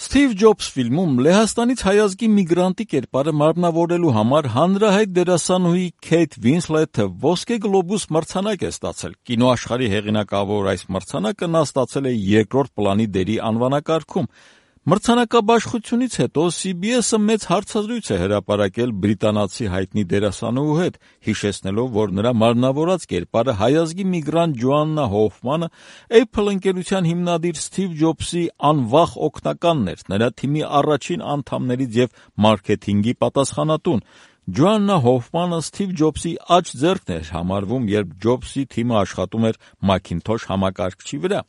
Սթիվ Ջոբս ֆիլմում Լեհաստանից հայազգի միգրանտի կերպարը մարմնավորելու համար հանրահայտ դերասանուհի Քեյթ Վինսլեթը ոսկե գլոբուս մրցանակ է ստացել։ Կինոաշխարհի հեղինակավոր այս մրցանակը նա ստացել է երկրորդ պլանի դերի անվանակարգում։ Մրցանակաբաշխությունից հետո CBS-ը մեծ հարցազրույց է հրապարակել բրիտանացի հայտնի դերասանուհու հետ, հիշեցնելով, որ նրա մարմնավորած կերպարը հայազգի միգրանտ Ջոաննա Հոֆմանը Apple ընկերության հիմնադիր Սթիվ Ջոբսի անվախ օգնականն էր, նրա թիմի առաջին անդամներից եւ մարքեթինգի պատասխանատուն։ Ջոաննա Հոֆմանը Սթիվ Ջոբսի աջ ձեռքն էր համարվում, երբ Ջոբսի թիմը աշխատում էր Macintosh համակարգչի վրա։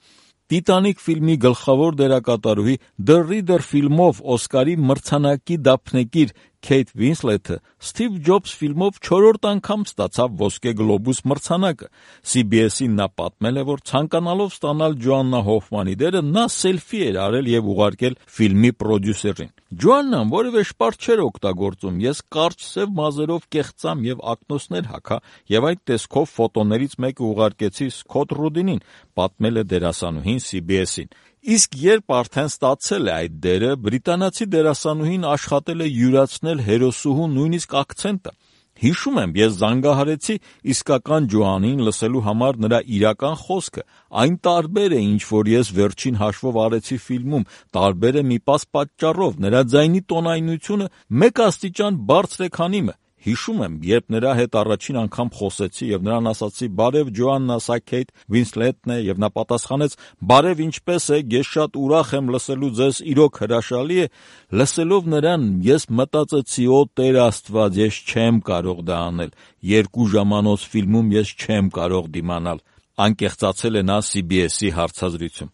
Տիտանիկ ֆիլմի գլխավոր դերակատարուհի The Reader ֆիլմով Օսկարի մրցանակի դափնեկիր Քեյթ Վինսլեթը Սթիվ Ջոբս ֆիլմով 4-րդ անգամ ստացավ ոսկե գլոբուս մրցանակը։ CBS-ին նա պատմել է, որ ցանկանալով ստանալ Ջոաննա Հոֆմանի դերը, նա սելֆի էր արել եւ ուղարկել ֆիլմի պրոդյուսերին։ Ջոաննան որևէ շպարտ չէր օգտագործում, ես կարճ սև մազերով կեղծամ եւ ակնոցներ հագա եւ այդ տեսքով ֆոտոներից մեկը ուղարկեցի Սքոթ Ռուդինին, պատմել է դերասանուհին CBS-ին։ Իսկ երբ արդեն ստացել է այդ դերը, բրիտանացի դերասանուհին աշխատել է յուրացնել հերոսուհու նույնիսկ ակցենտը։ Հիշում եմ, ես զանգահարեցի իսկական Ջոանին լսելու համար նրա իրական խոսքը։ Այն տարբեր է, ինչ որ ես վերջին հաշվով արեցի ֆիլմում, տարբեր է մի պարզ պատճառով, նրա ձայնի տոնայնությունը մեկ աստիճան բարձր է, քան իմը։ Հիշում եմ, երբ նրա հետ առաջին անգամ խոսեցի եւ նրան ասացի. «Բարև Ջոաննա, սա Քեյթ Վինսլեթն է», եւ նա պատասխանեց. «Բարև, ինչպես եք, ես շատ ուրախ եմ լսելու ձեզ, իրոք հրաշալի է»։ Լսելով նրան, ես մտածեցի. «Օ Տեր Աստված, ես չեմ կարող դա անել, 2 ժամանոց ֆիլմում ես չեմ կարող դիմանալ»։ Անկեղծացել է նա CBS-ի հարցազրույցում։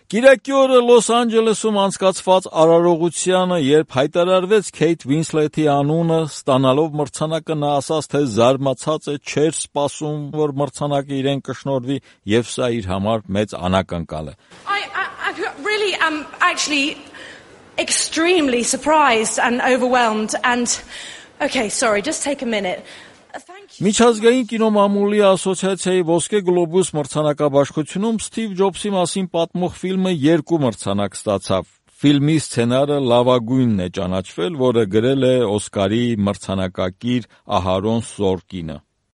Կիրակի օրը Լոս Անջելեսում անցկացված արարողությանը, երբ հայտարարվեց Քեյթ Վինսլեթի անունը, ստանալով մրցանակը նա ասաց, թե զարմացած է, չէր սպասում, որ մրցանակը իրեն կշնորհվի, եւ սա իր համար մեծ անակնկալ է։ I really am actually extremely surprised and overwhelmed and okay, sorry, just take a minute. Միջազգային կինոմամուլի ասոցիացիայի ոսկե գլոբուս մրցանակաբաշխությունում Սթիվ Ջոբսի մասին պատմող ֆիլմը 2 մրցանակ ստացավ։ Ֆիլմի սցենարը լավագույնն է ճանաչվել, որը գրել է Օսկարի մրցանակակիր Ահարոն Սորկինը։